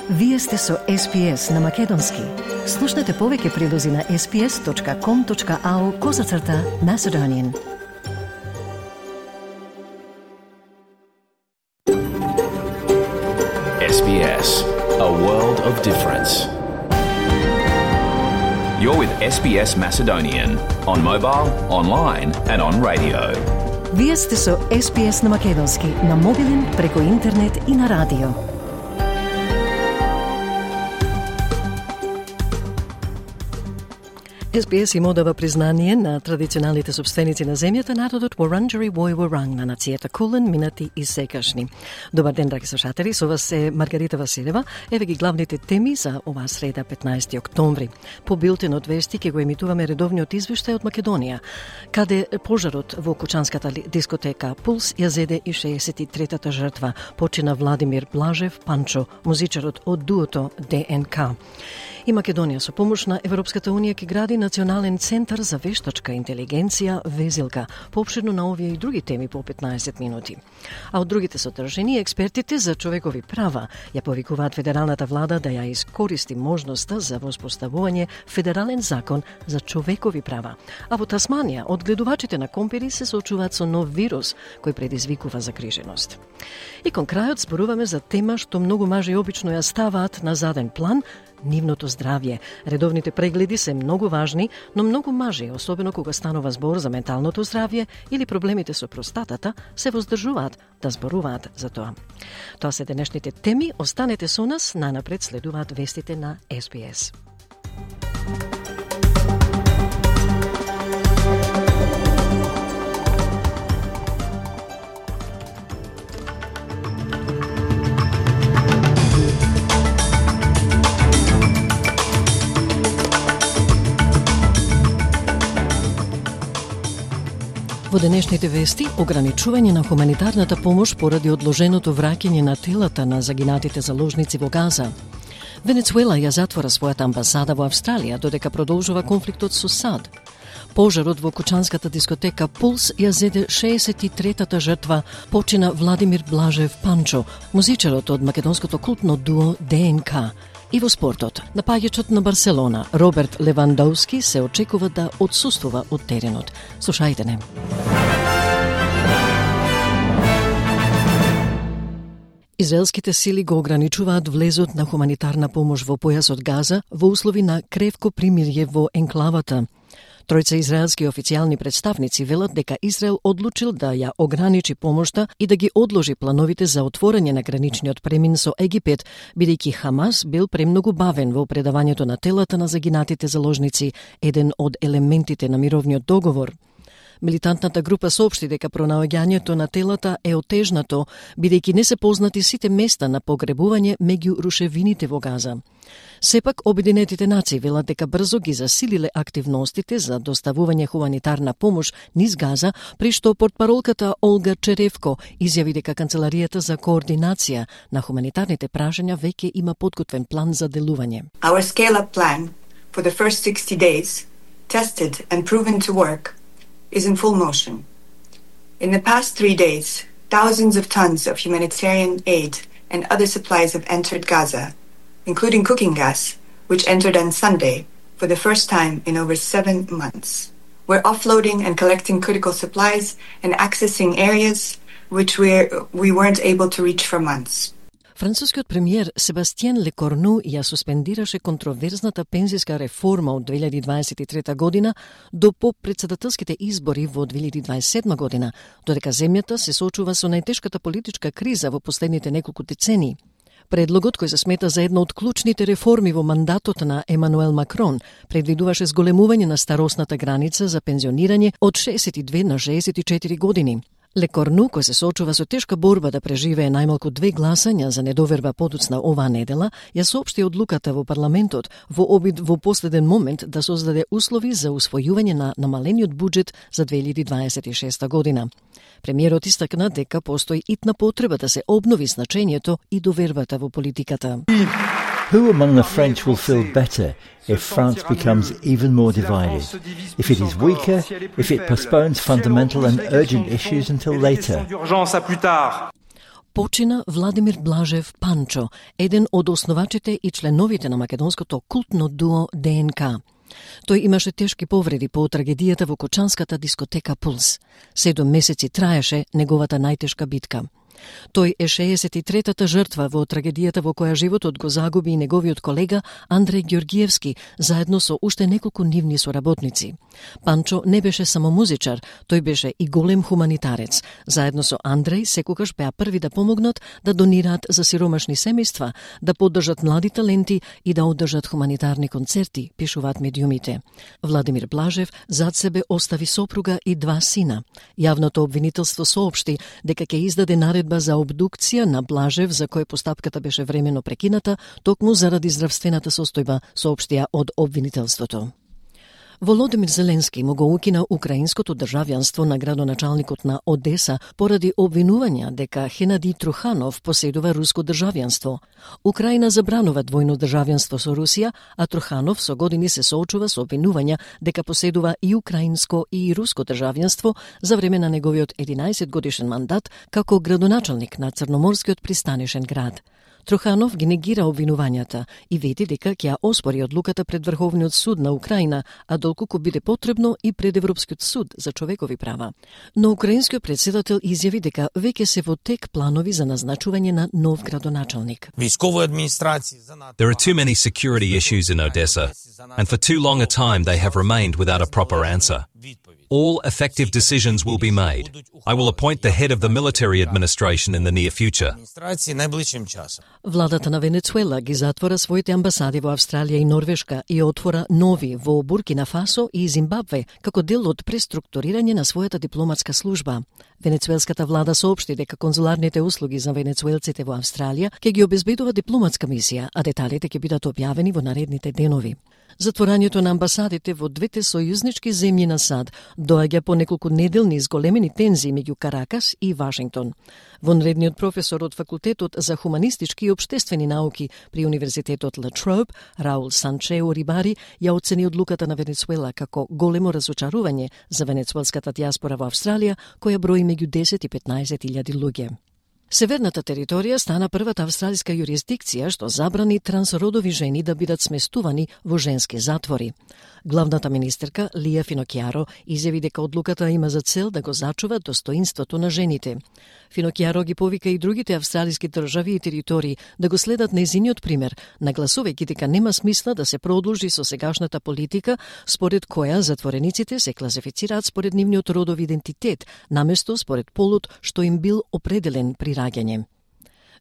Вие сте со SPS на Македонски. Слушнете повеќе прилози на sps.com.au/Macedonian. SBS, a world of difference. You're with SBS Macedonian on mobile, online and on radio. Вие сте со SPS на Македонски на мобилен, преку интернет и на радио. SBS им одава признание на традиционалните собственици на земјата, народот Wurundjeri Woi-wurrung на нацијата Кулен, минати и секашни. Добар ден, драги слушатели, со вас е Маргарита Василева. Еве ги главните теми за оваа среда, 15 октомври. По билтенот вести ќе го емитуваме редовниот извештај од Македонија, каде пожарот во кучанската дискотека Пулс ја зеде и 63-та жртва. Почина Владимир Блажев Панчо, музичарот од дуото ДНК. И Македонија со помош на Европската Унија ќе гради Национален центар за вештачка интелигенција Везилка. Поопширно на овие и други теми по 15 минути. А од другите содржини, експертите за човекови права ја повикуваат федералната влада да ја искористи можноста за воспоставување федерален закон за човекови права. А во Тасманија, одгледувачите на компири се соочуваат со нов вирус кој предизвикува загриженост. И кон крајот зборуваме за тема што многу мажи обично ја ставаат на заден план – нивното здравје. Редовните прегледи се многу важни, но многу мажи, особено кога станува збор за менталното здравје или проблемите со простатата, се воздржуваат да зборуваат за тоа. Тоа се денешните теми. Останете со нас, најнапред следуваат вестите на SBS. Во денешните вести, ограничување на хуманитарната помош поради одложеното враќање на телата на загинатите заложници во Газа. Венецуела ја затвора својата амбасада во Австралија, додека продолжува конфликтот со САД. Пожарот во кучанската дискотека Пулс ја зеде 63-та жртва, почина Владимир Блажев Панчо, музичарот од македонското култно дуо ДНК. И во спортот, напаѓачот на Барселона, Роберт Левандовски, се очекува да отсуствува од теренот. Слушајте не. Израелските сили го ограничуваат влезот на хуманитарна помош во појасот Газа во услови на кревко примирје во енклавата. Тројца израелски официјални представници велат дека Израел одлучил да ја ограничи помошта и да ги одложи плановите за отворање на граничниот премин со Египет, бидејќи Хамас бил премногу бавен во предавањето на телата на загинатите заложници, еден од елементите на мировниот договор. Милитантната група соопшти дека пронаоѓањето на телата е отежнато, бидејќи не се познати сите места на погребување меѓу рушевините во Газа. Сепак, Обединетите нации велат дека брзо ги засилиле активностите за доставување хуманитарна помош низ Газа, при што портпаролката Олга Черевко изјави дека Канцеларијата за координација на хуманитарните прашања веќе има подготвен план за делување. Our scale-up plan for the first 60 days, tested and proven to work, is in full motion. In the past 3 days, thousands of tons of humanitarian aid and other supplies have entered Gaza, including cooking gas, which entered on Sunday for the first time in over 7 months. We're offloading and collecting critical supplies and accessing areas which we weren't able to reach for months. Францускиот премиер Себастиен Лекорну ја суспендираше контроверзната пензиска реформа од 2023 година до попредседателските избори во 2027 година, додека земјата се соочува со најтешката политичка криза во последните неколку децении. Предлогот, кој се смета за една од клучните реформи во мандатот на Емануел Макрон, предвидуваше зголемување на старосната граница за пензионирање од 62 на 64 години. Лекорну, кој се соочува со тешка борба да преживее најмалку 2 гласања за недоверба подоцна оваа недела, ја соопшти одлуката во парламентот во обид во последен момент да создаде услови за усвојување на намалениот буџет за 2026 година. Премиерот истакна дека постои итна потреба да се обнови значењето и довербата во политиката. Who among the French will feel better if France becomes even more divided? If it is weaker, if it postpones fundamental and urgent issues until later? почина Владимир Блажев Панчо, еден од основачите и членовите на македонското култно дуо ДНК. Тој имаше тешки повреди по трагедијата во кочанската дискотека Пулс. 7 месеци траеше неговата најтешка битка. Тој е 63-та жртва во трагедијата во која животот го загуби и неговиот колега Андреј Ѓоргиевски, заедно со уште неколку нивни соработници. Панчо не беше само музичар, тој беше и голем хуманитарец. Заедно со Андреј секогаш беа први да помогнат да донираат за сиромашни семејства, да поддржат млади таленти и да одржат хуманитарни концерти, пишуваат медиумите. Владимир Блажев зад себе остави сопруга и 2 сина. Јавното обвинителство соопшти дека ќе издаде наредба за обдукција на Блажев, за кој постапката беше времено прекината, токму заради здравствената состојба, соопштија од обвинителството. Володимир Зеленски му го укина украинското државјанство на градоначалникот на Одеса поради обвинувања дека Хенади Труханов поседува руско државјанство. Украина забранува двојно државјанство со Русија, а Труханов со години се соочува со обвинувања дека поседува и украинско и руско државјанство за време на неговиот 11 годишен мандат како градоначалник на Црноморскиот пристанишен град. Труханов ги негира обвинувањата и вети дека ќе ја оспори одлуката пред Врховниот суд на Украина, а доколку биде потребно и пред Европскиот суд за човекови права. Но украинскиот председател изјави дека веќе се во тек планови за назначување на нов градоначалник. There are too many security issues in Odessa, and for too long a time they have remained without a proper answer. All effective decisions will be made. I will appoint the head of the military administration in the near future. Владата на Венецуела ги затвора своите амбасади во Австралија и Норвешка и отвора нови во Буркина Фасо и Зимбабве како дел од преструктурирање на својата дипломатска служба. Венецуелската влада соопшти дека конзуларните услуги за венецуелците во Австралија ќе ги обезбедува дипломатска мисија, а деталите ќе бидат објавени во наредните денови. Затворањето на амбасадите во двете сојузнички земји на САД доаѓа по неколку неделни изголемени тензии меѓу Каракас и Вашингтон. Вонредниот професор од факултетот за хуманистички и општествени науки при Универзитетот Ла Троbe, Раул Санчео Рибари, ја оцени одлуката на Венецуела како големо разочарување за венецуелската дијаспора во Австралија, која брои меѓу 10 и 15,000 луѓе. Северната територија стана првата австралиска јурисдикција што забрани трансродови жени да бидат сместувани во женски затвори. Главната министерка Лија Финокјаро изјави дека одлуката има за цел да го зачува достоинството на жените. Финокјаро ги повика и другите австралиски држави и територии да го следат нејзиниот пример, нагласувајќи дека нема смисла да се продолжи со сегашната политика според која затворениците се класифицираат според нивниот родов идентитет, наместо според полот што им бил определен при раѓање.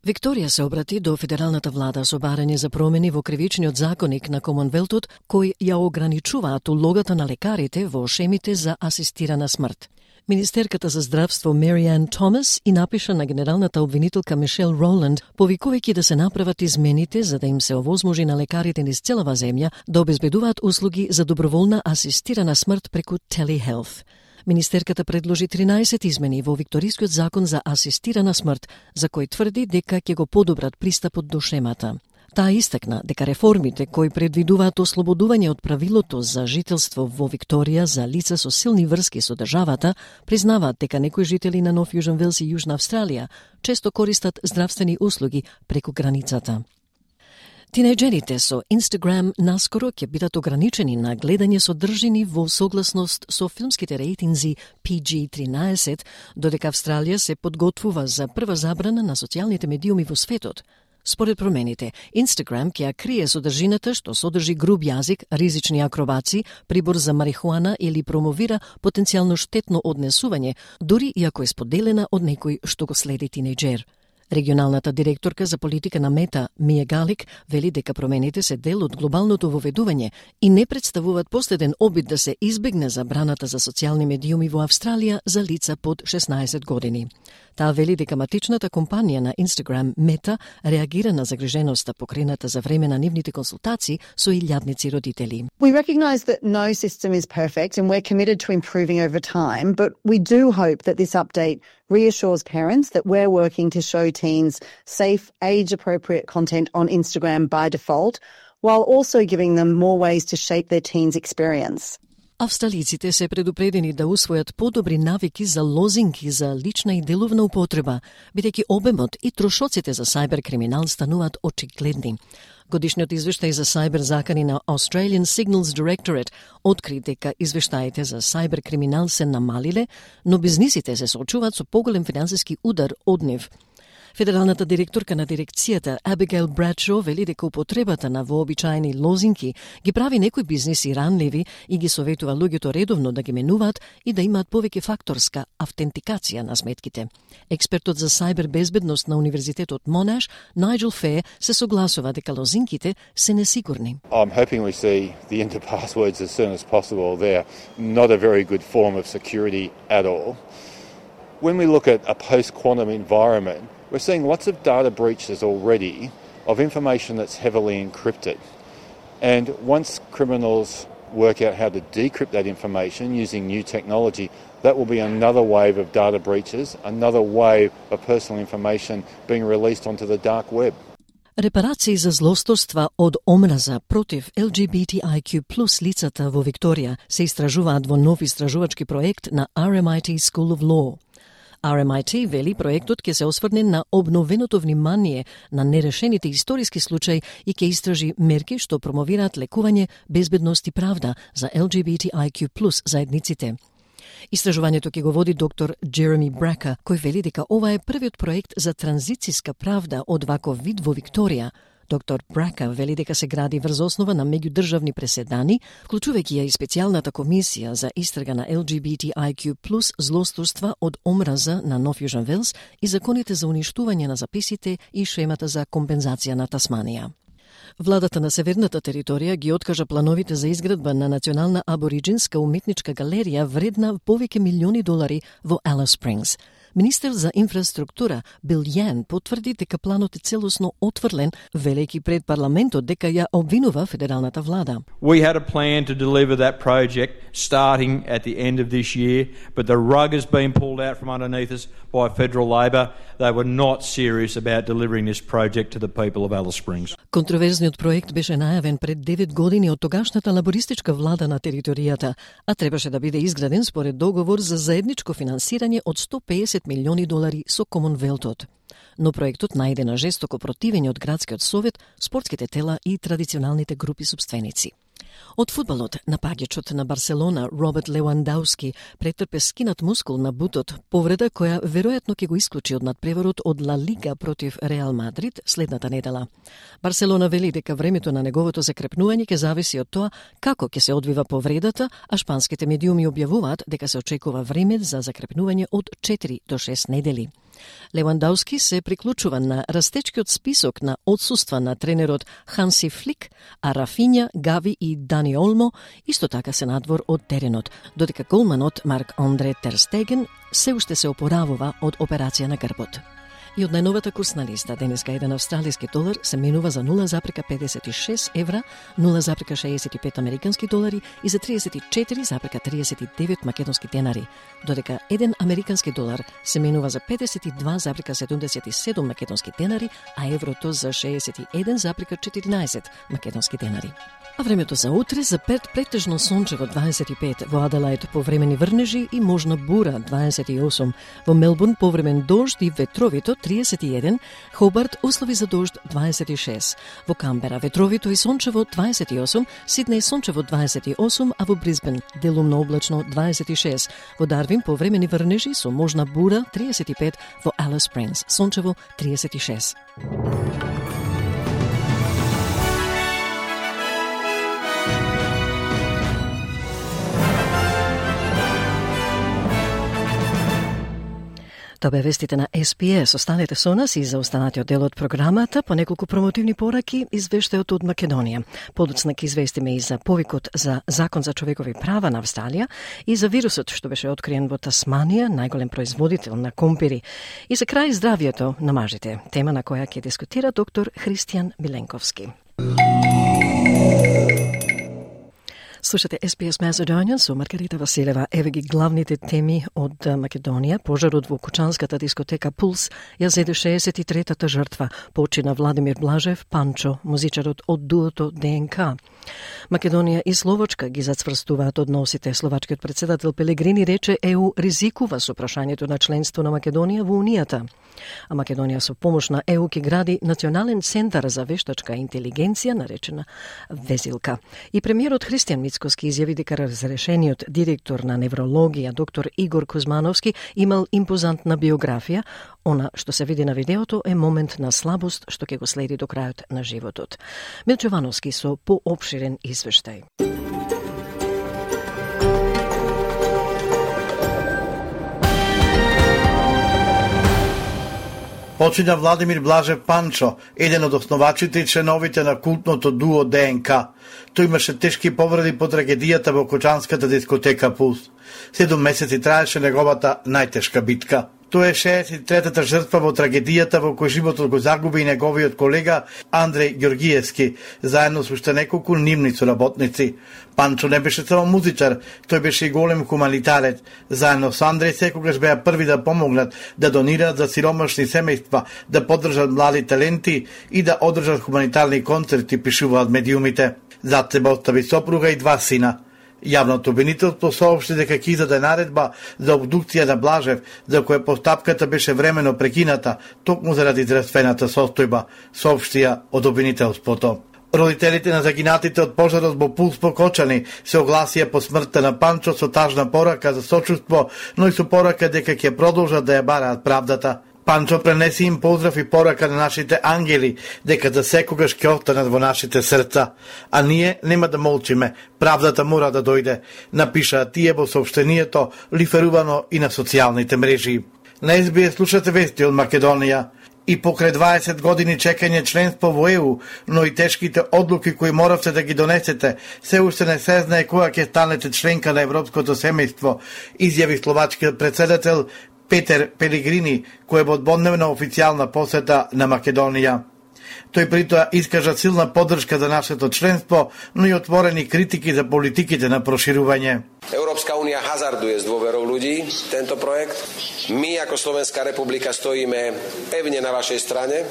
Викторија се обрати до федералната влада со барање за промени во кривичниот законник на Комонвелтот, кој ја ограничуваат улогата на лекарите во шемите за асистирана смрт. Министерката за здравство Мариан Томас и напиша на генералната обвинителка Мишел Роланд, повикувајќи да се направат измените за да им се овозможи на лекарите низ целава земја да обезбедуваат услуги за доброволна асистирана смрт преку телехелт. Министерката предложи 13 измени во Викторискиот закон за асистирана смрт, за кој тврди дека ќе го подобрат пристапот до шемата. Таа истакна дека реформите кои предвидуваат ослободување од правилото за жителство во Викторија за лица со силни врски со државата, признаваат дека некои жители на Нов Јужен Велс и Јужна Австралија често користат здравствени услуги преку границата. Тинејџерите со Instagram наскоро ќе бидат ограничени на гледање содржини во согласност со филмските рейтинзи PG-13, додека Австралија се подготвува за прва забрана на социјалните медиуми во светот. Според промените, Instagram ќе ја крие содржината што содржи груб јазик, ризични акробаци, прибор за марихуана или промовира потенцијално штетно однесување, дури и ако е споделена од некој што го следи тинејџер. Регионалната директорка за политика на Мета, Мија Галик, вели дека промените се дел од глобалното воведување и не представуваат последен обид да се избегне забраната за социјални медиуми во Австралија за лица под 16 години. Таа вели дека матичната компанија на Instagram, Мета, реагира на загриженоста покрената за време на нивните консултации со илјадници родители. We recognise that no system is perfect and we're committed to improving over time, but we do hope that this update reassures parents that we're working to show teens safe, age-appropriate content on Instagram by default, while also giving them more ways to shape their teens' experience. Австралиците се предупредени да усвојат подобри навики за лозинки за лична и деловна употреба, бидејќи обемот и трошоците за сајбер-криминал стануваат очигледни. Годишниот извештај за сајбер закани на Australian Signals Directorate откри дека извештаите за сајбер-криминал се намалиле, но бизнисите се соочуваат со поголем финансиски удар од нив. Федералната директорка на дирекцијата Abigail Bradshaw вели дека употребата на вообичаени лозинки ги прави некои бизниси ранливи и ги советува луѓето редовно да ги менуваат и да имаат повеќе факторска автентикација на сметките. Експертот за сајбер безбедност на Универзитетот Монаш, Найджел Фе, се согласува дека лозинките се несигурни. I'm hoping we see the enter passwords as soon as possible. They're not a very good form of security at all. When we look at a post-quantum environment, we're seeing lots of data breaches already of information that's heavily encrypted. And once criminals work out how to decrypt that information using new technology, that will be another wave of data breaches, another wave of personal information being released onto the dark web. Репарации за злосторства од омраза против LGBTIQ+ лицата во Викторија се истражуваат во нов истражувачки проект на RMIT School of Law. RMIT вели проектот ќе се осврне на обновеното внимание на нерешените историски случаи и ќе истражи мерки што промовираат лекување, безбедност и правда за LGBTIQ+ заедниците. Истражувањето ќе го води доктор Джереми Брака, кој вели дека ова е првиот проект за транзицијска правда од ваков вид во Викторија. Доктор Брака вели дека се гради врз основа на меѓудржавни преседани, вклучувајќи ја и специјалната комисија за истрага на LGBTIQ+ злосторства од омраза на Нов Јужен Велс и законите за уништување на записите и шемата за компензација на Тасманија. Владата на Северната територија ги откажа плановите за изградба на национална абориджинска уметничка галерија вредна повеќе милиони долари во Алис Спрингс. Министер за инфраструктура Бил Јан потврди дека планот е целосно отврлен, велејќи пред парламентот дека ја обвинува федералната влада. We had a plan to deliver that project starting at the end of this year, but the rug has been pulled out from underneath us by federal Labor. They were not serious about delivering this project to the people of Alice Springs. Контроверзниот проект беше најавен пред 9 години од тогашната лабористичка влада на територијата, а требаше да биде изграден според договор за заедничко финансирање од 150 милиони долари со Комонвелтот. Но проектот најде на жестоко противење од градскиот совет, спортските тела и традиционалните групи сопственици. Од фудбалот, напаѓачот на Барселона Роберт Левандовски претрпе скинат мускул на бутот, повреда која веројатно ќе го исклучи од надпреварот од Ла Лига против Реал Мадрид следната недела. Барселона вели дека времето на неговото закрепнување ќе зависи од тоа како ќе се одвива повредата, а шпанските медиуми објавуваат дека се очекува време за закрепнување од 4 до 6 недели. Левандовски се приклучува на растечкиот список на отсуства на тренерот Ханси Флик, а Рафиња, Гави и Дани Олмо исто така се надвор од теренот, додека голманот Марк Андре Тер Стеген се уште се опоравува од операција на грбот. И од најновата курсна листа, денеска еден австралиски долар се менува за 0,56 евра, 0,65 американски долари и за 34,39 македонски денари, додека еден американски долар се менува за 52,77 македонски денари, а еврото за 61,14 македонски денари. А времето за утре за Перт претежно сончево 25, во Аделаид повремени врнежи и можна бура 28, во Мелбурн повремен дожд и ветровито 31, Хобарт услови за дожд 26, во Камбера ветровито и сончево 28, Сиднеј сончево 28, а во Брисбен делумно облачно 26, во Дарвин повремени врнежи со можна бура 35, во Алис Спрингс сончево 36. Тоа бе вестите на SPS. Останете со нас и за останатиот дел од програмата по неколку промотивни пораки извештајот од Македонија. Подоцна ќе известиме и за повикот за Закон за човекови права на Австралија и за вирусот што беше откриен во Тасманија, најголем производител на компири. И за крај здравието на мажите, тема на која ќе дискутира доктор Христијан Миленковски. Слушате SBS Macedonian со Маргарита Василева. Еве ги главните теми од Македонија. Пожарот во кучанската дискотека Пулс ја зеде 63-та жртва. Почина Владимир Блажев, Панчо, музичарот од дуото ДНК. Македонија и Словачка ги зацврстуваат односите. Словачкиот председател Пелегрини рече ЕУ ризикува со прашањето на членство на Македонија во Унијата. А Македонија со помош на ЕУ ки гради Национален центар за вештачка интелигенција, наречена Везилка. И премиерот Христијан Мицкоски изјави дека разрешениот директор на неврологија доктор Игор Кузмановски имал импозантна биографија. Она што се види на видеото е момент на слабост што ќе го следи до крајот на животот. Милчо Вановски со поопширен извештај. Почина Владимир Блажев Панчо, еден од основачите и членовите на култното дуо ДНК. Тој имаше тешки повреди по трагедијата во кочанската дискотека Пулс. 7 месеци траеше неговата најтешка битка. Тоа е 63-та жртва во трагедијата во кој животот го загуби и неговиот колега Андреј Ѓоргиевски, заедно со уште неколку нивни соработници. Панчо не беше само музичар, тој беше и голем хуманитарец. Заедно со Андреј секогаш беа први да помогнат, да донираат за сиромашни семејства, да поддржат млади таленти и да одржат хуманитарни концерти, пишуваат медиумите. Зад себе остави сопруга и 2 сина. Јавното обвинителство соопшти дека ќе издаде наредба за обдукција на Блажев, за која постапката беше времено прекината, токму заради здравствената состојба, соопштија од обвинителството. Родителите на загинатите од пожарот во Пулс покочани се огласија по смртта на Панчо со тажна порака за сочувство, но и со порака дека ќе продолжат да ја бараат правдата. Панчо пренеси им поздрав и порака на нашите ангели, дека за секогаш ќе останат во нашите срца. А ние нема да молчиме, правдата мора да дојде, напишаа тие во соопштението, лиферувано и на социјалните мрежи. На СБС слушате вести од Македонија. И покрај 20 години чекање членство во ЕУ, но и тешките одлуки кои моравте да ги донесете, се уште не се знае кога ќе станете членка на европското семејство, изјави словачкиот председател Петер Пелегрини, кој е во одбодневна официјална посета на Македонија. Тој притоа искажа силна поддршка за нашето членство, но и отворени критики за политиките на проширување. Európska únia hazarduje s dôverou ľudí tento projekt. My ako Slovenská republika stojíme pevne na vašej strane.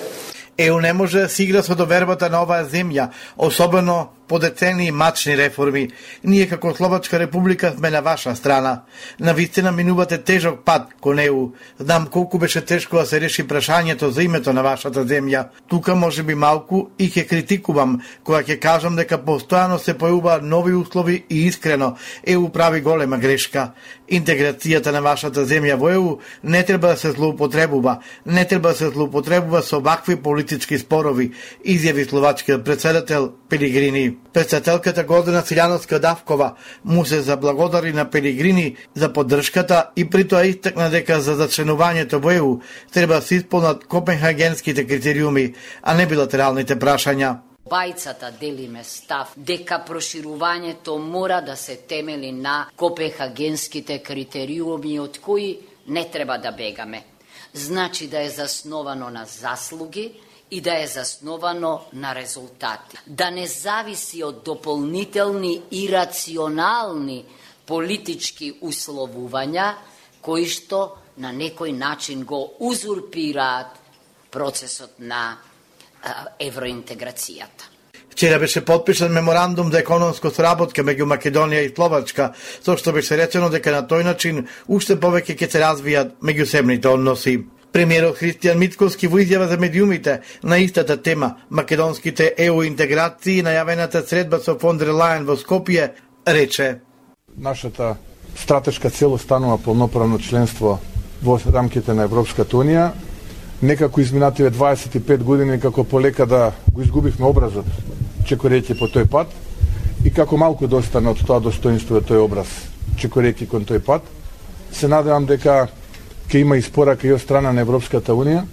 ЕУ не може да си игра со довербата на оваа земја, особено по децении мачни реформи. Ние како Словачка република сме на ваша страна. Навистина минувате тежок пат кон ЕУ. Знам колку беше тешко да се реши прашањето за името на вашата земја. Тука може би малку и ќе критикувам, кога ќе кажам дека постојано се појавуваат нови услови и искрено ЕУ прави голема грешка. Интеграцијата на вашата земја во ЕУ не треба да се злоупотребува. Не треба да се злоупотребува со вакви политички спорови, изјави словачкиот председател Пелегрини. Председателката Гордана Силјановска-Давкова му се заблагодари на Пелегрини за поддршката и притоа истакна дека за зачленувањето во ЕУ треба да се исполнат копенхагенските критериуми, а не билатералните прашања. Бајцата делиме став дека проширувањето мора да се темели на копенхагенските критериуми од кои не треба да бегаме. Значи да е засновано на заслуги и да е засновано на резултати. Да не зависи од дополнителни и рационални политички условувања кои што на некој начин го узурпираат процесот на евроинтеграцијата. Вчера беше подпишан меморандум за економска соработка меѓу Македонија и Словачка, со што беше речено дека на тој начин уште повеќе ќе се развијат меѓусебните односи. Премиерот Христијан Мицкоски во изјава за медиумите на истата тема, македонските ЕУ интеграции и најавената средба со фон дер Лајен во Скопје, рече: Нашата стратешка цел останува полноправно членство во рамките на Европската унија. Некако изминативе 25 години како полека да го изгубивме образот, чекорејќи по тој пат, и како малку достана од тоа достоинство тој образ, чекорејќи кон тој пат, се надевам дека ќе има испорака и од страна на Европската унија,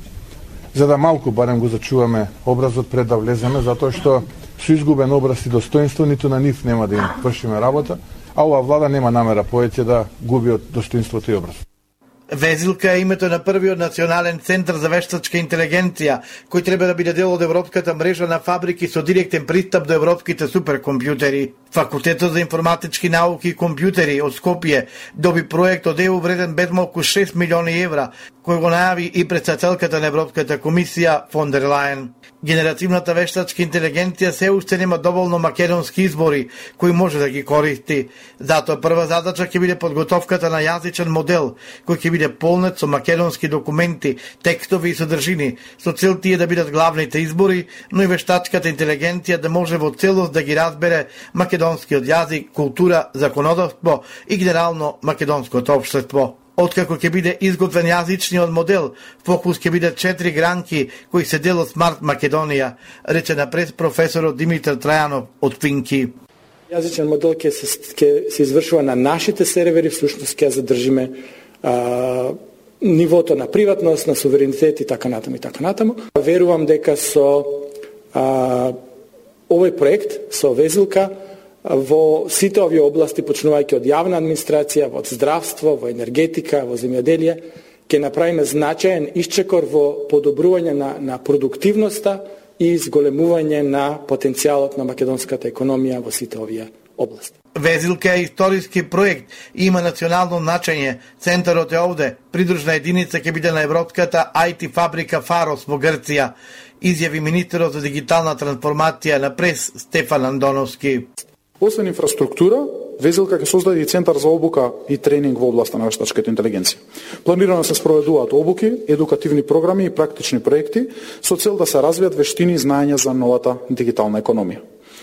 за да малку барем го зачуваме образот пред да влеземе, затоа што со изгубен образ и достоинство ниту на нив нема да им вршиме работа, а оваа влада нема намера повеќе да губи од достоинството и образ. Везилка е името на првиот национален центар за вештачка интелигенција, кој треба да биде дел од европската мрежа на фабрики со директен пристап до европските суперкомпјутери. Факултетот за информатички науки и компјутери од Скопје доби проект од ЕУ вреден без малку 6 милиони евра, кој го најави и председателката на Европската комисија фон дер Лајен. Генеративната вештачка интелигенција се уште нема доволно македонски избори кои може да ги користи. Затоа прва задача ќе биде подготовката на јазичен модел кој ќе биде полнет со македонски документи, текстови и содржини, со цел тие да бидат главните избори, но и вештачката интелигенција да може во целост да ги разбере македонскиот јазик, култура, законодавство и генерално македонското општество. Откако ќе биде изготвен јазичниот модел, фокус ќе биде 4 гранки кои се дел од Смарт Македонија, рече напред професорот Димитар Трајанов од Финки. Јазичен модел ќе се извршува на нашите сервери, всушност ќе задржиме нивото на приватност, на суверенитет и така натаму и така натаму. Верувам дека со овој проект, со Везилка, во сите овие области, почнувајќи од јавна администрација, во здравство, во енергетика, во земјоделие, ќе направиме значаен исчекор во подобрување на продуктивноста и изголемување на потенцијалот на македонската економија во сите овие области. Везилка е историски проект и има национално значење. Центарот е овде. Придружна единица ќе биде на европската IT фабрика Фарос во Грција, изјави министерот за дигитална трансформација на прес Стефан Андоновски. Освен инфраструктура, Везилка ќе создаде и центар за обука и тренинг во областа на вештачката интелигенција. Планирано се спроведуваат обуки, едукативни програми и практични проекти со цел да се развијат вештини и знаења за новата дигитална економија.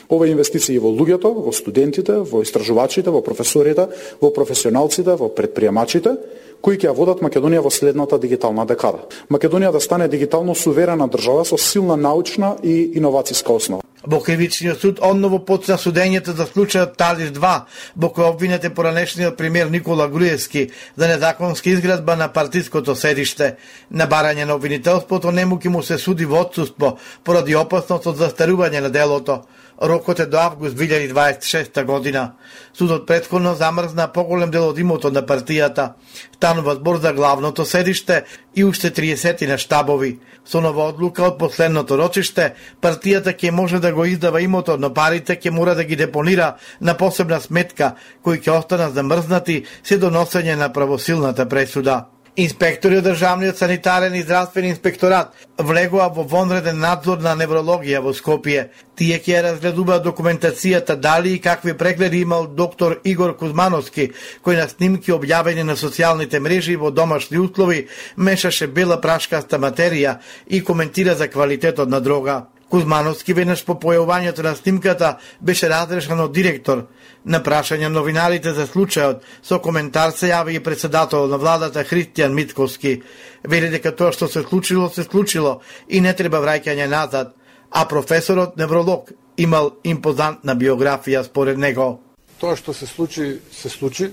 Ова инвестиции во луѓето, во студентите, во истражувачите, во професорите, во професионалците, во предприемачите, кои ќе ја водат Македонија во следната дигитална декада. Македонија да стане дигитално суверена држава со силна научна и иновацијска основа. Во кривичниот суд одново почна судењето за случајот Талиш 2, во кој обвинет е поранешниот премиер Никола Груевски за незаконска изградба на партиското седиште. На барање на обвинителството нему ќе му се суди во отсуство поради опасност од застарување на делото. Рокот е до август 2026 година. Судот претходно замрзна поголем дел од имотот на партијата. Станува збор за главното седиште и уште 30 на штабови. Со нова одлука од последното рочиште, партијата ќе може да го издава имотот, но парите ќе мора да ги депонира на посебна сметка, кои ќе останат замрзнати се до носење на правосилната пресуда. Инспектори од Државниот санитарен и здравствен инспекторат влегоа во вонреден надзор на неврологија во Скопје. Тие ќе разгледуваат документацијата дали и какви прегледи имал доктор Игор Кузмановски, кој на снимки објавени на социјалните мрежи во домашни услови мешаше бела прашкаста материја и коментира за квалитетот на дрога. Кузмановски веднаш по појавувањето на снимката беше разрешен од директор. На прашање новинарите за случајот, со коментар се јави и председател на владата Христијан Митковски. Вели дека тоа што се случило и не треба враќање назад, а професорот невролог имал импозантна биографија според него. Тоа што се случи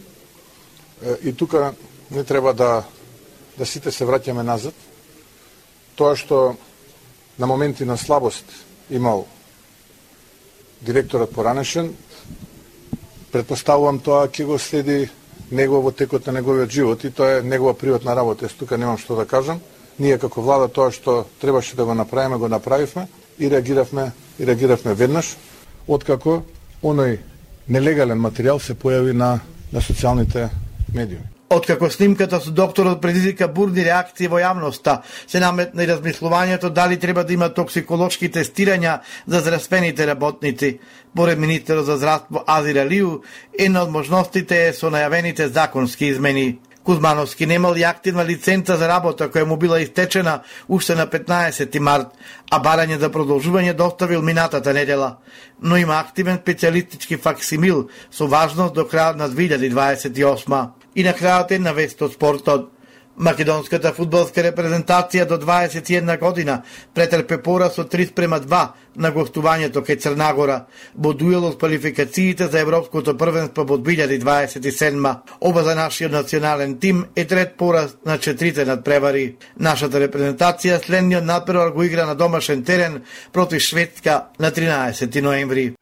и тука не треба да сите се враќаме назад. Тоа што на моменти на слабост имал директорот поранешен, предпоставувам тоа ќе го следи него во текот на неговиот живот и тоа е негова приватна работа. Тука немам што да кажам. Ние како влада тоа што требаше да го направиме, го направивме и реагиравме веднаш, откако оној нелегален материјал се појави на социјалните медиуми. Откако снимката со докторот предизвика бурни реакции во јавноста, се наметна и размислувањето дали треба да има токсиколошки тестирања за здравствените работници. Поред министерот за здравство Азир Алиу, една од можностите е со најавените законски измени. Кузмановски немал и активна лиценца за работа која му била истечена уште на 15 март, а барање за продолжување доставил минатата недела. Но има активен специјалистички факсимил со важност до крајот на 2028. И на крајот една вест од спортот. Македонската фудбалска репрезентација до 21 година претрпе пораз од 3:2 на гостувањето кај Црнагора во дуел од квалификациите за Европското првенство во 2027. Оба за нашиот национален тим е трет пораз на 4 надпревари. Нашата репрезентација следниот надпревар го игра на домашен терен против Шведска на 13 ноември.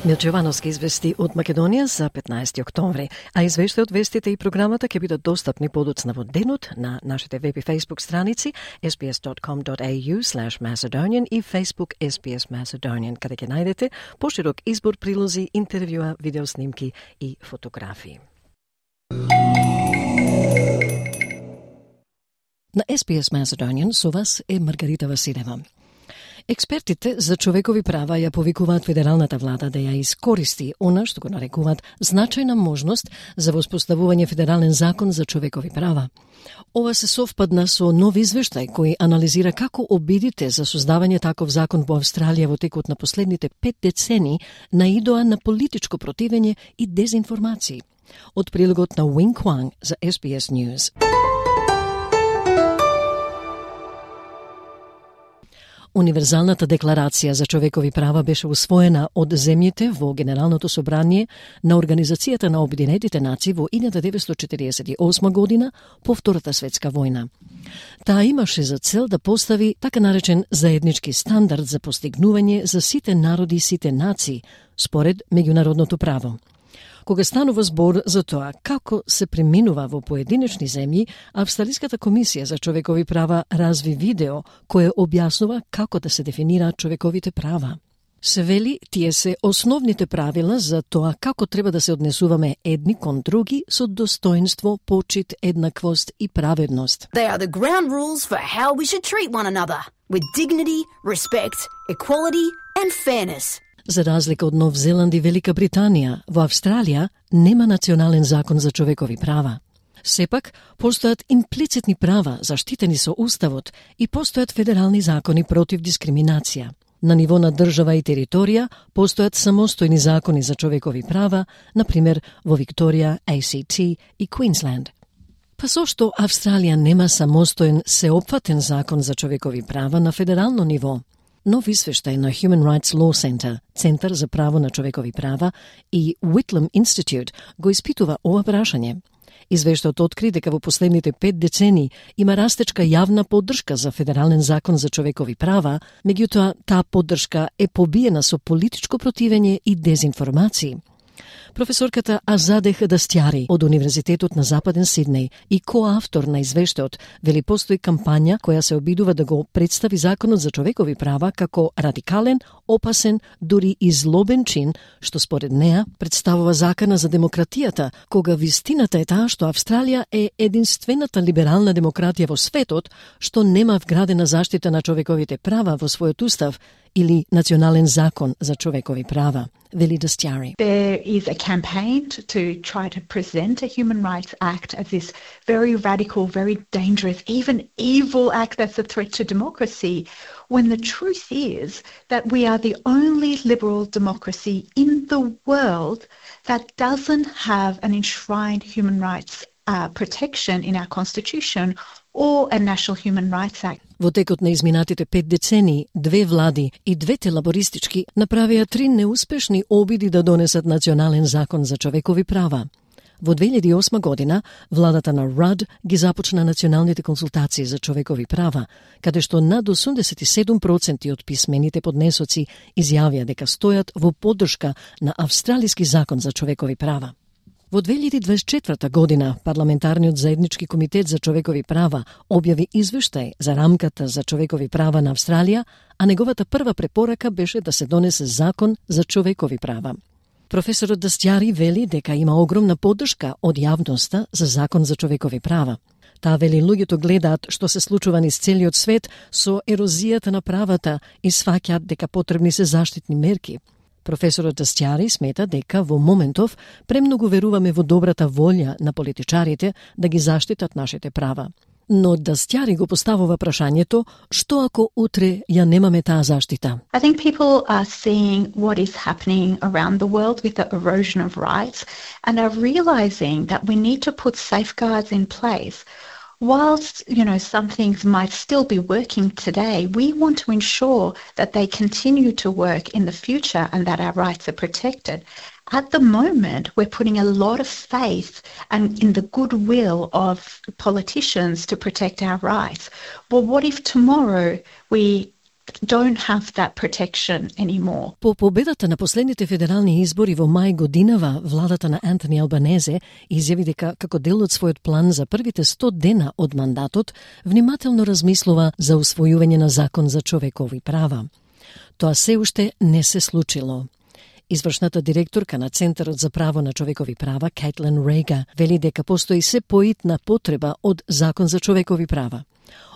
Милче Јовановски извести од Македонија за 15 октомври, а извеште од вестите и програмата ќе бидат достапни подоцна во денот на нашите веб и Facebook страници sbs.com.au/Macedonian и Facebook SBS Macedonian, каде ќе најдете поширок избор прилози, интервјуа, видеоснимки и фотографии. На SBS Macedonian со вас е Маргарита Василева. Експертите за човекови права ја повикуваат федералната влада да ја искористи она што го нарекуваат значајна можност за воспоставување федерален закон за човекови права. Ова се совпадна со нов извештај кој анализира како обидите за создавање таков закон во Австралија во текот на последните 5 децени наидоа на политичко противење и дезинформации. Од прилогот на Wing Kwang за SBS News. Универзалната декларација за човекови права беше усвоена од земјите во Генералното собрание на Организацијата на Обединетите нации во 1948 година по Втората светска војна. Таа имаше за цел да постави така наречен заеднички стандард за постигнување за сите народи и сите нации според меѓународното право. Кога станува збор за тоа како се преминува во поединечни земји, Австралиската комисија за човекови права разви видео кое објаснува како да се дефинираат човековите права. Се вели, тие се основните правила за тоа како треба да се однесуваме едни кон други со достоинство, почит, еднаквост и праведност. They are the ground rules for how we should treat one another, with dignity, respect, equality and fairness. За разлика од Нов Зеланд и Велика Британија, во Австралија нема национален закон за човекови права. Сепак, постојат имплицитни права заштитени со Уставот и постојат федерални закони против дискриминација. На ниво на држава и територија постојат самостојни закони за човекови права, например во Викторија, ACT и Квинсленд. Па зошто Австралија нема самостоен сеопфатен закон за човекови права на федерално ниво? Нов извештај на Human Rights Law Center, Центар за право на човекови права, и Whitlam Institute го испитува ова прашање. Извештајот откри дека во последните 5 децени има растечка јавна поддршка за федерален закон за човекови права, меѓутоа таа поддршка е побиена со политичко противење и дезинформации. Професорката Азаде Хадастјари од Универзитетот на Западен Сиднеј и коавтор на извештајот вели постои кампања која се обидува да го представи законот за човекови права како радикален, опасен, дури и злобен чин, што според неа представува закана за демократијата, кога вистината е таа што Австралија е единствената либерална демократија во светот што нема вградена заштита на човековите права во својот устав или национален закон за човекови права. Вели Дастјари. There is a campaign to try to present a Human Rights Act as this very radical, very dangerous, even evil act that's a threat to democracy, when the truth is that we are the only liberal democracy in the world that doesn't have an enshrined human rights protection in our constitution or a National Human Rights Act. Во текот на изминатите 5 децени, 2 влади и 2 лабористички направија 3 неуспешни обиди да донесат национален закон за човекови права. Во 2008 година, владата на Руд ги започна националните консултации за човекови права, каде што над 87% од писмените поднесоци изјавија дека стојат во поддршка на австралиски закон за човекови права. Во 2024 година, Парламентарниот заеднички комитет за човекови права објави извештај за рамката за човекови права на Австралија, а неговата прва препорака беше да се донесе закон за човекови права. Професорот Дастјари вели дека има огромна поддршка од јавноста за закон за човекови права. Таа вели луѓето гледаат што се случува низ целиот свет со ерозијата на правата и сваќаат дека потребни се заштитни мерки. Професорот Дастјари смета дека во моментов премногу веруваме во добрата волја на политичарите да ги заштитат нашите права. Но Дастјари го поставува прашањето што ако утре ја немаме таа заштита. I think people are seeing what is happening around the world with the erosion of rights and are realizing that we need to put safeguards in place. Whilst, some things might still be working today, we want to ensure that they continue to work in the future and that our rights are protected. At the moment, we're putting a lot of faith and in the goodwill of politicians to protect our rights. But what if tomorrow we don't have that protection anymore. По победата на последните федерални избори во мај годинава, владата на Антони Албанезе изјави дека како дел од својот план за првите 100 дена од мандатот, внимателно размислува за усвојување на закон за човекови права. Тоа се уште не се случило. Извршната директорка на Центарот за право на човекови права, Кейтлин Рейга, вели дека постои се поитна потреба од закон за човекови права.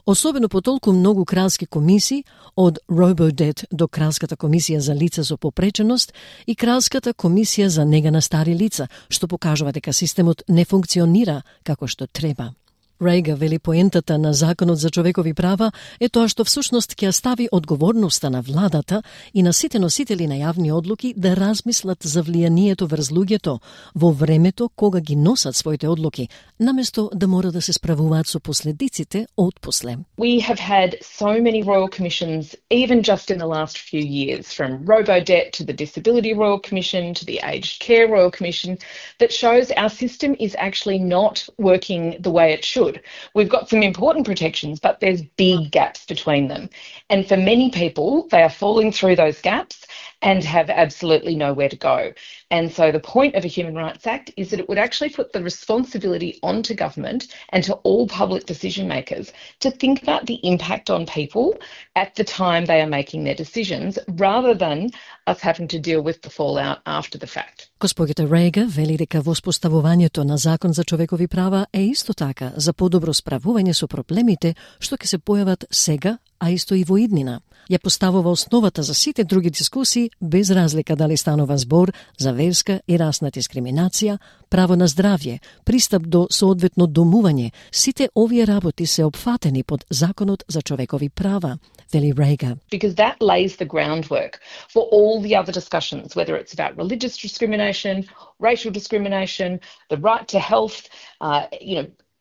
Особено по толку многу кралски комисии, од Рободет до Кралската комисија за лица со попреченост и Кралската комисија за нега на стари лица, што покажува дека системот не функционира како што треба. Рейга вели поентата на Законот за човекови права е тоа што всушност ќе стави одговорноста на владата и на сите носители на јавни одлуки да размислат за влијанието врз луѓето во времето кога ги носат своите одлуки, наместо да мора да се справуваат со последиците од после. We have had so many royal commissions, even just in the last few years, from Robodebt to the Disability Royal Commission to the Aged Care Royal Commission, that shows our system is actually not working the way it should. We've got some important protections, but there's big gaps between them. And for many people, they are falling through those gaps and have absolutely nowhere to go. And so the point of a Human Rights Act is that it would actually put the responsibility onto government and to all public decision makers to think about the impact on people at the time they are making their decisions, rather than us having to deal with the fallout after the fact. Госпоѓата Рейга вели дека воспоставувањето на закон за човекови права е исто така за подобро справување со проблемите што ќе се појават сега, а исто и во иднина. Ја поставува основата за сите други дискусии, без разлика дали станува збор за верска и расна дискриминација, право на здравје, пристап до соодветно домување. Сите овие работи се опфатени под Законот за човекови права, вели Рейга. Because that lays the groundwork for all the other discussions, whether it's about religious discrimination, racial discrimination, the right to health,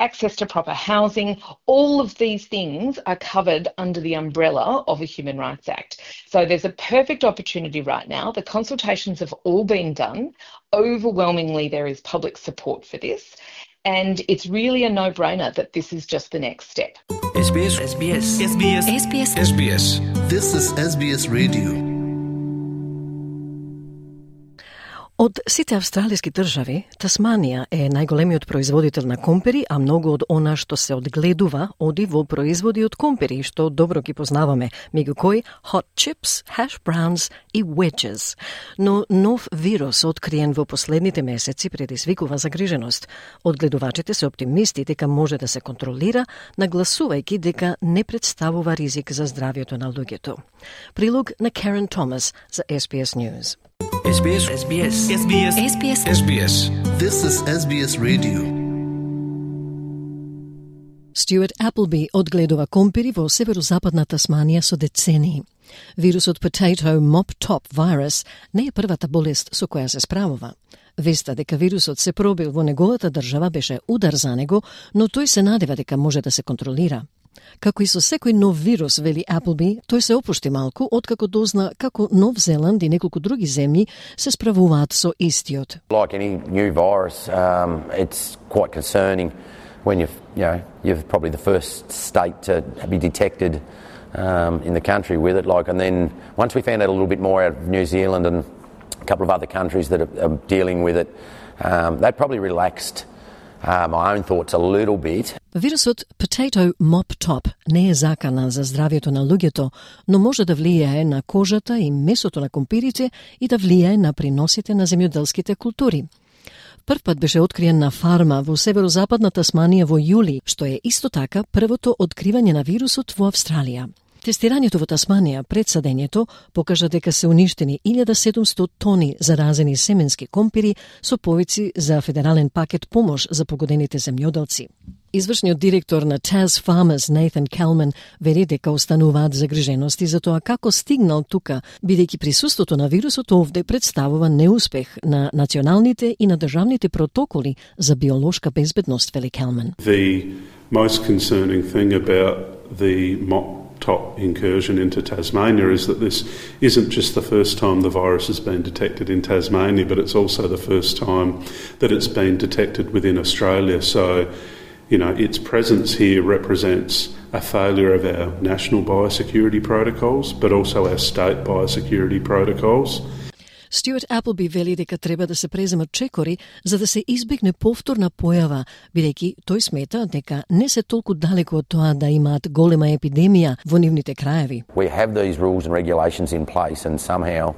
access to proper housing. All of these things are covered under the umbrella of a Human Rights Act. So there's a perfect opportunity right now. The consultations have all been done. Overwhelmingly, there is public support for this. And it's really a no-brainer that this is just the next step. SBS. SBS. SBS. SBS. SBS. This is SBS Radio. Од сите австралиски држави, Тасманија е најголемиот производител на компери, а многу од она што се одгледува оди во производи од компери, што добро ги познаваме, меѓу кои hot chips, hash browns и wedges. Но нов вирус откриен во последните месеци предизвикува загриженост. Одгледувачите се оптимисти дека може да се контролира, нагласувајќи дека не представува ризик за здравјето на луѓето. Прилог на Карен Томас за SBS News. SBS. SBS. SBS. SBS. SBS. This is SBS Radio. Стюарт Appleby одгледува компери во северозападна Тасманија со децении. Вирусот Potato Mop Top Virus не е првата болест со која се справува. Веста дека вирусот се пробил во неговата држава беше удар за него, но тој се надева дека може да се контролира. Како и со секој нов вирус, вели Appleby, тој се опушти малку откако дозна како Нов Зеланд и неколку други земји се справуваат со истиот. Like any new virus, it's quite concerning when you're probably the first state to be detected in the country with it. And then once we found out a little bit more out of New Zealand and a couple of other countries that are dealing with it, they probably relaxed my own thoughts a little bit. Вирусот Potato Mop Top не е закана за здравјето на луѓето, но може да влијае на кожата и месото на компирите и да влијае на приносите на земјоделските култури. Првпат беше откриен на фарма во северозападна Тасманија во јули, што е исто така првото откривање на вирусот во Австралија. Тестирањето во Тасманија пред садењето покажа дека се уништени 1700 тони заразени семенски компири со повици за федерален пакет помош за погодените земјоделци. Извршниот директор на Tas Farmers, Nathan Kalman, вели дека остануваат загрижености за тоа како стигнал тука, бидејќи присуството на вирусот овде представува неуспех на националните и на државните протоколи за биолошка безбедност, вели Kalman. The most concerning thing about the top incursion into Tasmania is that this isn't just the first time the virus has been detected in Tasmania, but it's also the first time that it's been detected within Australia. So, its presence here represents a failure of our national biosecurity protocols, but also our state biosecurity protocols. Стюарт Аплби вели дека треба да се преземат чекори за да се избегне повторна појава, бидејќи тој смета дека не се толку далеку од тоа да имаат голема епидемија во нивните краеви. We have these rules and regulations in place and somehow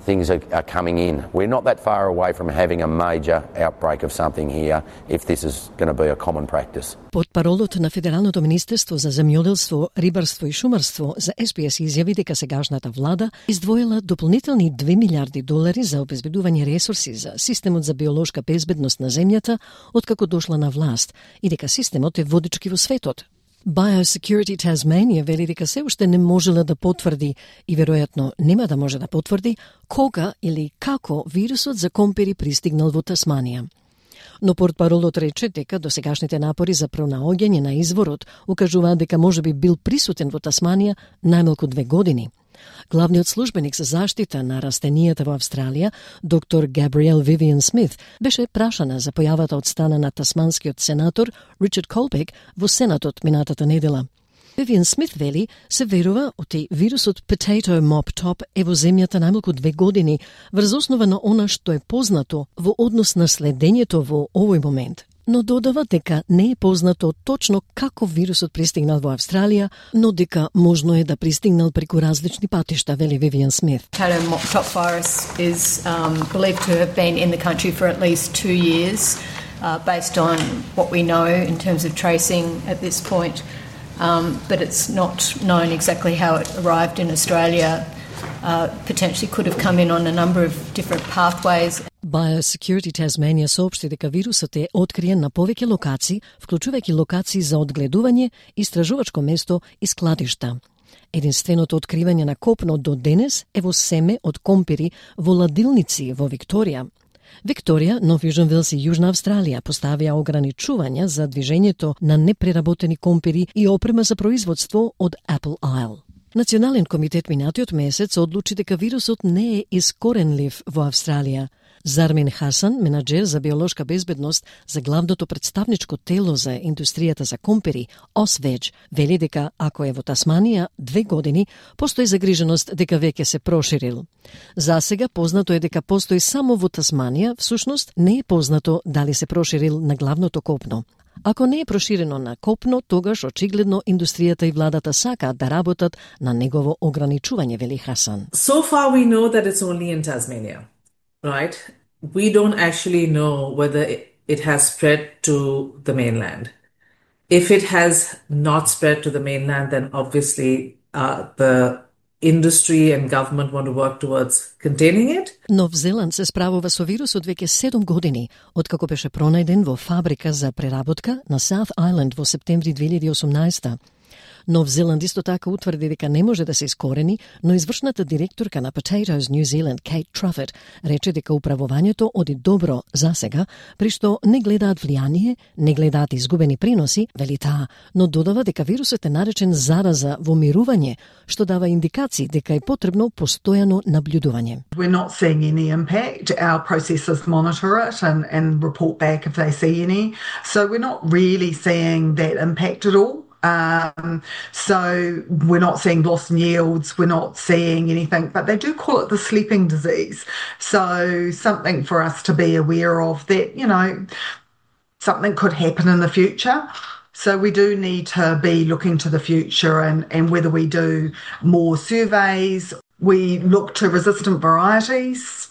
things are coming in. We're not that far away from having a major outbreak of something here if this is going to be a common practice. Портпаролот на Федералното министерство за земјоделство, рибарство и шумарство за SBS изјави дека сегашната влада издвоила дополнителни $2 милиарди за обезбедување ресурси за системот за биолошка безбедност на земјата откако дошла на власт и дека системот е водички во светот. Biosecurity Tasmania вели дека се уште не можела да потврди и веројатно нема да може да потврди кога или како вирусот за компири пристигнал во Тасманија. Но портпаролот рече дека досегашните напори за пронаоѓање на изворот укажуваат дека можеби бил присутен во Тасманија најмалку 2 години. Главниот службеник за заштита на растенијата во Австралија, доктор Габриел Вивиан Смит, беше прашана за појавата од страна на тасманскиот сенатор Ричард Колбек во Сенатот минатата недела. Вивиан Смит вели се верува оти вирусот Potato Mop Top е во земјата најмалку 2 години, врз основа на она што е познато во однос на следењето во овој момент. Но додава дека не е познато точно како вирусот пристигнал во Австралија, но дека можно е да пристигнал преку различни патишта, вели Вивиан Смит. Potato Mop Top virus is believed to have been in the country for at least 2 years, based on what we know in terms of tracing at this point. But it's not known exactly how it arrived in Australia. Potentially could have come in on a number of different pathways. Biosecurity Tasmania соопшти дека вирусот е откриен на повеќе локации, вклучувајќи локации за одгледување, истражувачко место и складишта. Единственото откривање на копно до денес е во семе од компири во ладилници во Викторија. Викторија, Нов Јужен Велс и Јужна Австралија поставија ограничувања за движењето на непреработени компири и опрема за производство од Apple Isle. Национален комитет минатиот месец одлучи дека вирусот не е искоренлив во Австралија. Зармин Хасан, менаџер за биолошка безбедност за главното представничко тело за индустријата за компири, OSVEG, вели дека ако е во Тасманија 2 години, постои загриженост дека веќе се проширил. За сега познато е дека постои само во Тасманија, всушност не е познато дали се проширил на главното копно. Ако не е проширено на копно, тогаш очигледно индустријата и владата сакаат да работат на негово ограничување, вели Хасан. So far we know that it's only in Tasmania, right? We don't actually know whether it has spread to the mainland. If it has not spread to the mainland, then obviously the industry and government want to work towards containing it. Нов Зеланд се справува со вирусот веќе 7 години, откако беше пронајден во фабрика за преработка на South Island во септември 2018. Нов Зеланд исто така утврди дека не може да се искорени, но извршната директорка на Potatoes New Zealand, Kate Truffett, рече дека управувањето оди добро за сега, при што не гледаат влијание, не гледаат изгубени приноси, вели таа, но додава дека вирусот е наречен зараза во мирување, што дава индикации дека е потребно постојано наблюдување. We're not seeing any impact. Our processors monitor it and report back if they see any. So we're not really seeing that impact at all. So we're not seeing loss in yields, we're not seeing anything, but they do call it the sleeping disease. So something for us to be aware of that, you know, something could happen in the future. So we do need to be looking to the future and whether we do more surveys, we look to resistant varieties.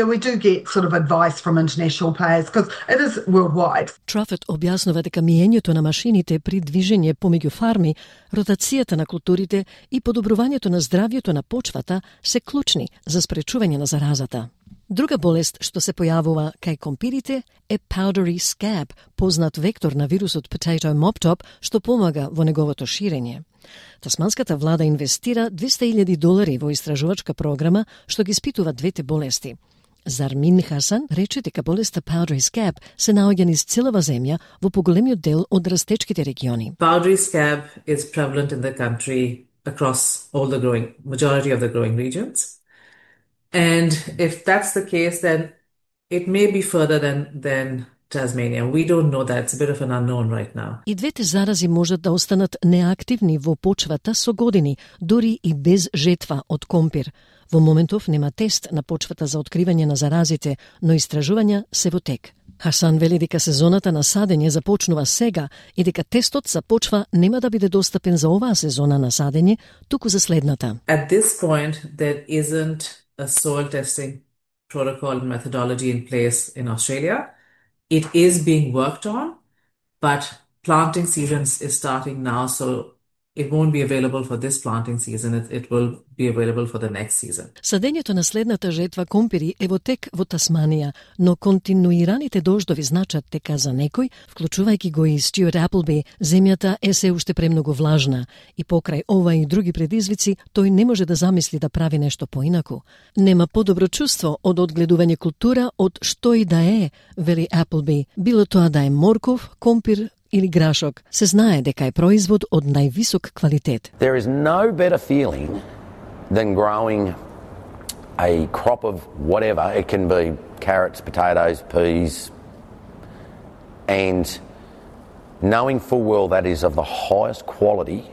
We do get sort of advice from international players because it is worldwide. Truffett објаснува дека миењето на машините при движење помеѓу фарми, ротацијата на културите и подобрувањето на здравјето на почвата се клучни за спречување на заразата. Друга болест што се појавува кај компирите е powdery scab, познат вектор на вирусот Potato Mop Top, што помага во неговото ширење. Тасманската влада инвестира $200,000 во истражувачка програма што ги испитува двете болести. Зармин Хасан рече дека болеста powdery scab се наоѓа низ целава земја во поголемиот дел од растечките региони. Powdery scab is prevalent in the country across all the majority of the growing regions. And if that's the case, then it may be further than Tasmania. We don't know that. It's a bit of an unknown right now. И двете зарази можат да останат неактивни во почвата со години, дури и без жетва од компир. Во моментов нема тест на почвата за откривање на заразите, но истражувања се во тек. Хасан вели дека сезоната на садење започнува сега и дека тестот за почва нема да биде достапен за оваа сезона на садење, туку за следната. At this point, there isn't a soil testing protocol and methodology in place in Australia. It is being worked on, but planting season is starting now, so it won't be available for this planting season. It will be available for the next season. Садењето на следната жетва компири е во тек во Тасманија, но континуираните дождови значат дека за некој, вклучувајќи го и Стюарт Аплби, земјата е се уште премногу влажна и покрај ова и други предизвици, тој не може да замисли да прави нешто поинаку. Нема подобро чувство од одгледување култура од што и да е, вели Аплби, било тоа да е морков, компир или грашок, се знае дека е производ од највисок квалитет. There is no better feeling than growing a crop of whatever. It can be carrots, potatoes, peas, and knowing full well that is of the highest quality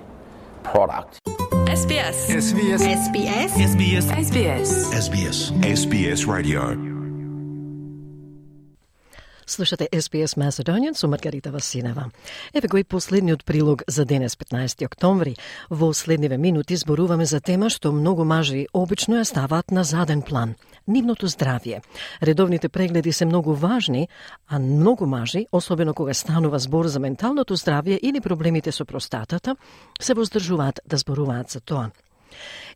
product. SBS. SBS. SBS. SBS. SBS. SBS. SBS Radio. Слушате SBS Macedonian со Маргарита Васинева. Еве го и последниот прилог за денес, 15 октомври. Во следниве минути зборуваме за тема што многу мажи обично ја ставаат на заден план – нивното здравје. Редовните прегледи се многу важни, а многу мажи, особено кога станува збор за менталното здравје или проблемите со простатата, се воздржуваат да зборуваат за тоа.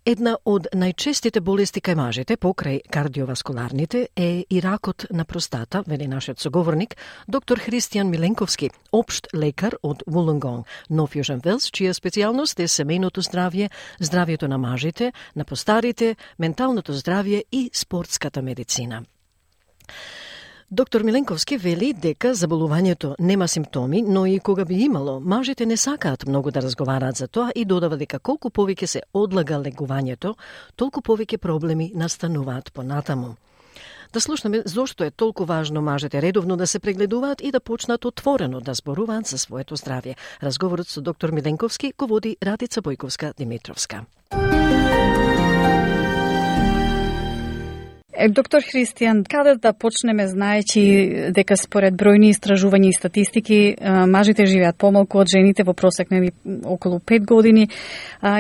Една од најчестите болести кај мажите покрај кардиоваскуларните е и ракот на простата, вели нашиот соговорник, доктор Христијан Миленковски, општ лекар од Wollongong, Нов Јужен Велс, чија специјалност е семејното здравје, здравјето на мажите, на постарите, менталното здравје и спортската медицина. Доктор Миленковски вели дека заболувањето нема симптоми, но и кога би имало, мажите не сакаат многу да разговараат за тоа и додава дека колку повеќе се одлага легувањето, толку повеќе проблеми настануваат понатаму. Да слушнеме зошто е толку важно мажите редовно да се прегледуваат и да почнат отворено да зборуваат за своето здравје. Разговорот со доктор Миленковски го води Радица Бојковска-Димитровска. Доктор Христијан, каде да почнеме, знаејќи дека според бројни истражувања и статистики мажите живеат помалку од жените, во просек нели околу 5 години,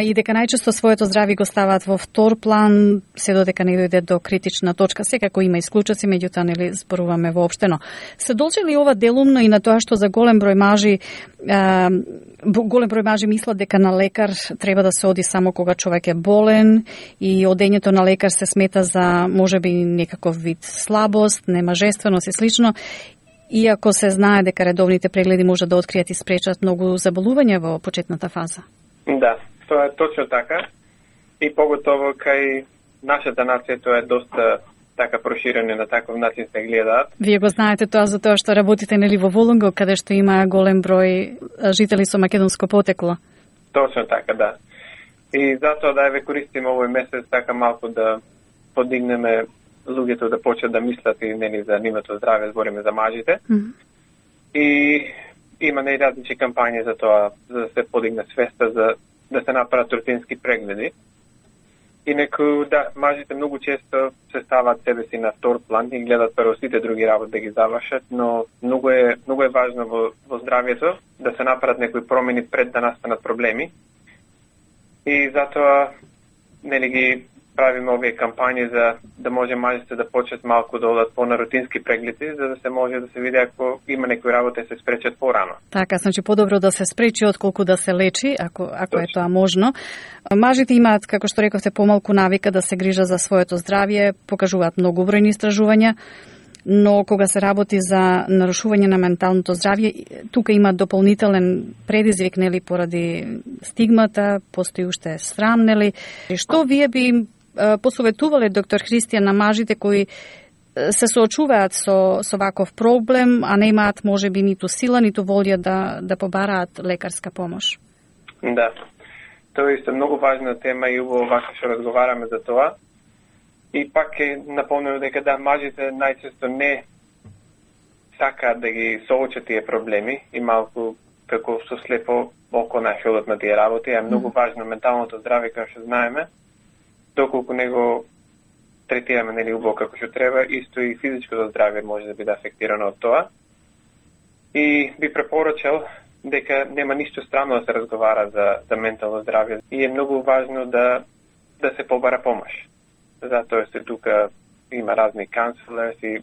и дека најчесто своето здравје го ставаат во втор план се додека не дојде до критична точка. Секако има исклучоци, меѓутоа нели зборуваме воопштено. Се должи ли ова делумно и на тоа што за голем број мажи мислат дека на лекар треба да се оди само кога човек е болен и одењето на лекар се смета за можеби некаков вид слабост, немажественост и слично, иако се знае дека редовните прегледи може да откријат и спречат многу заболувања во почетната фаза. Да, тоа е точно така. И поготово кај нашата нација тоа е доста така проширено, на таков начин се гледаат. Вие го знаете тоа за тоа што работите нели во Wollongong, каде што има голем број жители со македонско потекло. Точно така, да. И затоа да ве користиме овој месец така малку да подигнеме луѓето да почнат да мислат и нели за нивното здравје, збориме за мажите. И има различни кампањи за тоа, за да се подигне свеста, за да се направат рутински прегледи. Инаку, да, мажите многу често се ставаат себе си на втор план и гледат прво сите други работи да ги завршат, но многу е важно во здравјето да се направат некои промени пред да настанат проблеми. И затоа нели ги правиме овие кампањи за да може мажите да почнат малку да одат по на рутински прегледи, за да се може да се види ако има некои работи да се спречат порано. Така, значи подобро да се спречи отколку да се лечи, ако е тоа можно. Мажите имаат, како што рековте, помалку навика да се грижат за своето здравје, покажуваат многу бројни истражувања, но кога се работи за нарушување на менталното здравје, тука има дополнителен предизвик, нели, поради стигмата, постои уште срам, нели. Што вие би посоветувале, доктор Христијан, на мажите кои се соочуваат со ваков проблем, а не имаат можеби ниту сила, ниту волја да побараат лекарска помош? Да, тоа е многу важна тема и убаво вака што разговараме за тоа. И пак е напомнено дека да, мажите најчесто не сакаат да ги соочат тие проблеми и малку како со слепо око најшолот на тие работи. Е многу важно менталното здраве, како што знаеме, доколку него третираме нели убаво како што треба, исто и физичкото здраве може да биде афектирано од тоа. И би препорачал дека нема ништо странно да се разговара за ментално здраве и е многу важно да се побара помош. Затоа се тука има разни counselors и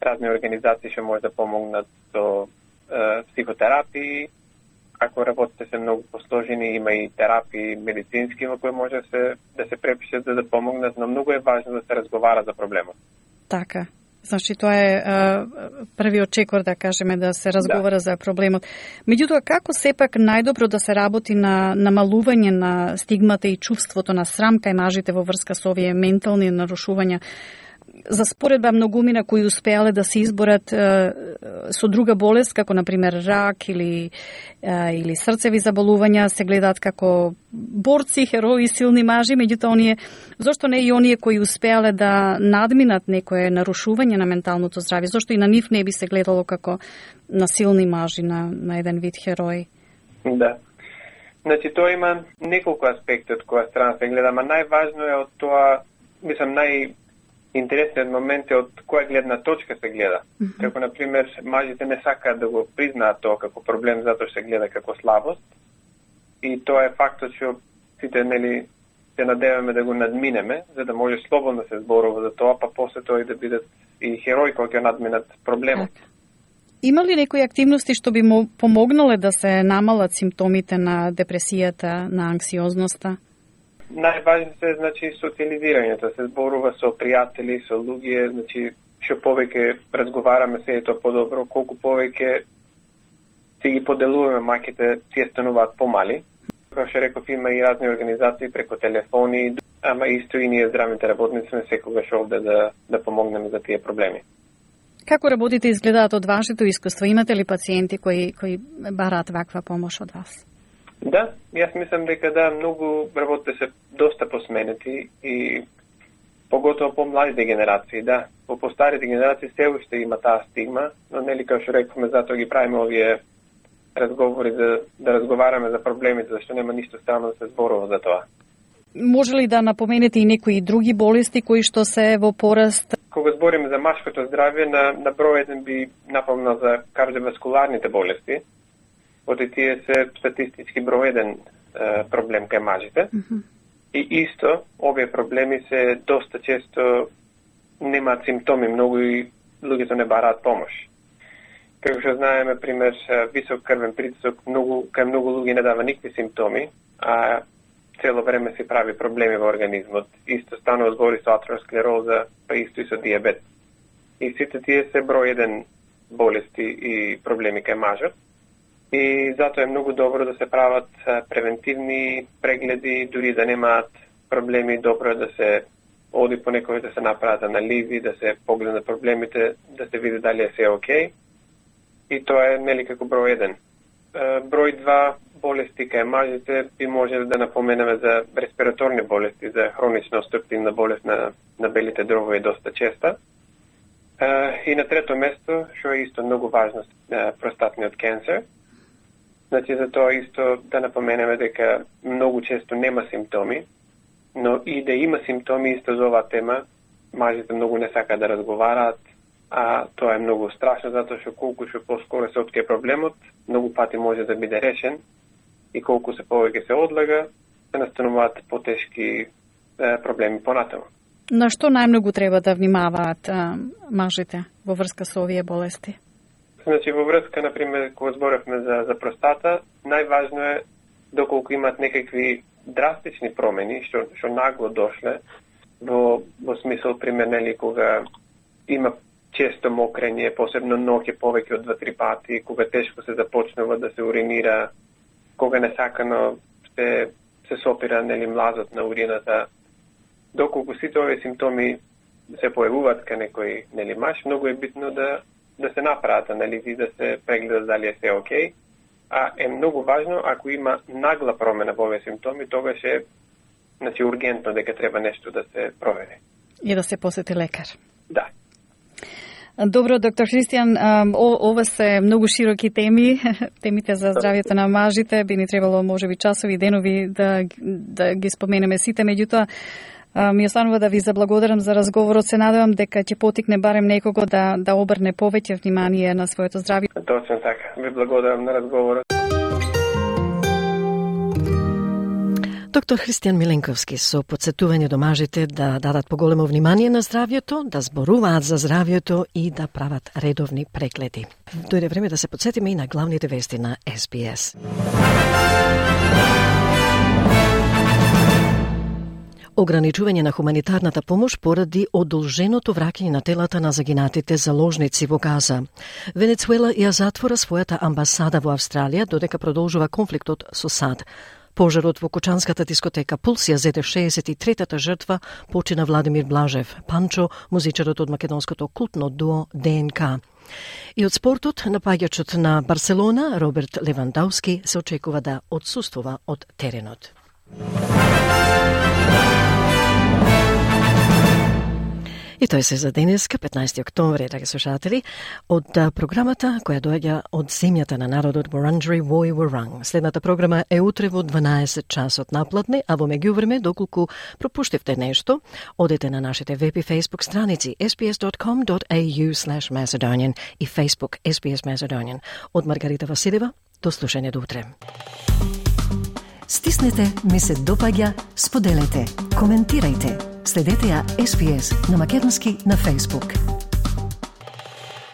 разни организации што може да помогнат со психотерапии. Ако работите се многу посложени, има и терапии медицински во кои може да се препишат за да помогнат, но многу е важно да се разговара за проблемот. Така. Значи, тоа е првиот чекор, да кажеме, да се разговара за проблемот. Меѓутоа, како сепак најдобро да се работи на намалување на стигмата и чувството на срам кај мажите во врска со овие ментални нарушувања? За споредба многумина кои успеале да се изборат со друга болест, како например рак или срцеви заболувања, се гледаат како борци, херои, силни мажи, меѓутоа оние, зошто не и оние кои успеале да надминат некое нарушување на менталното здравје, зошто и на нив не би се гледало како на силни мажи, на еден вид херои? Да. Значи, тоа има неколку аспекти од која страна се гледа, ама најважно е од тоа, мислам, интересниот момент е од која гледна точка се гледа. Како, например, мажите не сакаат да го признаат тоа како проблем, затоа се гледа како слабост. И тоа е фактот што сите, нели, се надеваме да го надминеме, за да може слободно да се зборува за тоа, па после тоа и да бидат и херои кои ќе надминат проблемот. Има ли некои активности што би му помогнале да се намалат симптомите на депресијата, на анксиозноста? Најважно е, значи, социализирањето, се зборува со пријатели, со луѓе, значи, што повеќе разговараме се е тоа подобро, колку повеќе си ги поделуваме маќите, си стануваат помали. Како што реков, има и разни организации преку телефони, ама исто и ние здравните работници сме секогаш овде да помогнеме за тие проблеми. Како работите изгледаат од вашето искуство? Имате ли пациенти кои бараат ваква помош од вас? Да, јас мислам дека многу работите се доста посменети и поготово по младите генерации, да. По постарите генерации се уште има таа стигма, но нели како што рековме, затоа ги правиме овие разговори да разговараме за проблемите, зашто нема ништо странно да се зборува за тоа. Може ли да напоменете и некои други болести кои што се во пораст? Кога збориме за машкото здравје, на број еден би напомнал за кардиоваскуларните болести. Оти тие се статистички број еден проблем кај мажите. И исто, овие проблеми се доста често немаат симптоми, многу и луѓето не бараат помош. Како што знаеме, пример, висок крвен притисок, кај многу луѓе не дава никакви симптоми, а цело време се прави проблеми во организмот. Исто станува збори со атеросклероза, па исто и со диабет. И сите тие се број еден болести и проблеми кај мажот. И затоа е многу добро да се прават превентивни прегледи, дури да немаат проблеми, добро е да се оди по некој да се направат анализи, да се погледнат проблемите, да се види дали е се окей. И тоа е нели како број еден. Број 2 болести кај мажите би можеле да напоменеме за респираторни болести, за хронична обструктивна болест на белите дробови доста честа. И на трето место, што е исто многу важно, простатниот канцер. Значи, за тоа исто да напоменеме дека многу често нема симптоми, но и да има симптоми исто за оваа тема, мажите многу не сакаат да разговараат, а тоа е многу страшно, затоа што колку што поскоро се открие проблемот, многу пати може да биде решен и колку се повеќе се одлага, се настануваат потешки проблеми понатаму. На што најмногу треба да внимаваат мажите во врска со овие болести? Значи, во врска, например, кога зборевме за простата, најважно е доколку имат некакви драстични промени, што нагло дошле, во смисол, пример, нели, кога има често мокрење, посебно ноќе повеќе од 2-3 пати, кога тешко се започнува да се уринира, кога несакано се сопира, нели, млазот на урината. Доколку сите овие симптоми се појавуваат кај некој, нели, маж, многу е битно да се направат анализи, да се прегледат дали е се окей. А е многу важно, ако има нагла промена во овие симптоми, тогаш е, значи, ургентно дека треба нешто да се провери. И да се посети лекар. Да. Добро, доктор Христијан, ова се многу широки теми, темите за здравјето на мажите, би ни требало можеби часови, денови да ги споменеме сите, меѓутоа ми останува да ви заблагодарам за разговорот, се надевам дека ќе потикне барем некого да обрне повеќе внимание на своето здравје. Точно така, ви благодарам на разговорот. Доктор Христијан Миленковски со подсетување до мажите да дадат поголемо внимание на здравјето, да зборуваат за здравјето и да прават редовни прегледи. Дојде време да се подсетиме и на главните вести на SBS. Ограничување на хуманитарната помош поради одолженото враќање на телата на загинатите заложници во Газа. Венецуела ја затвора својата амбасада во Австралија додека продолжува конфликтот со САД. Пожарот во кочанската дискотека Пулс ја зеде 63-та жртва, почина Владимир Блажев, Панчо, музичарот од македонското култно дуо ДНК. И од спортот, напаѓачот на Барселона, Роберт Левандовски, се очекува да отсуствува од теренот. И тој се за денеска, 15 октомври, драги слушатели, од програмата која доаѓа од земјата на народот Wurundjeri Woi Wurrung. Следната програма е утре во 12 часот наплатне, а во меѓувреме, доколку пропуштивте нешто, одете на нашите веб и Facebook страници sbs.com.au/Macedonian и Facebook SBS Macedonian. Од Маргарита Василева, до слушање до утре. Стиснете, ми се допаѓа, споделете, коментирајте. Следете ја SBS на македонски на Facebook.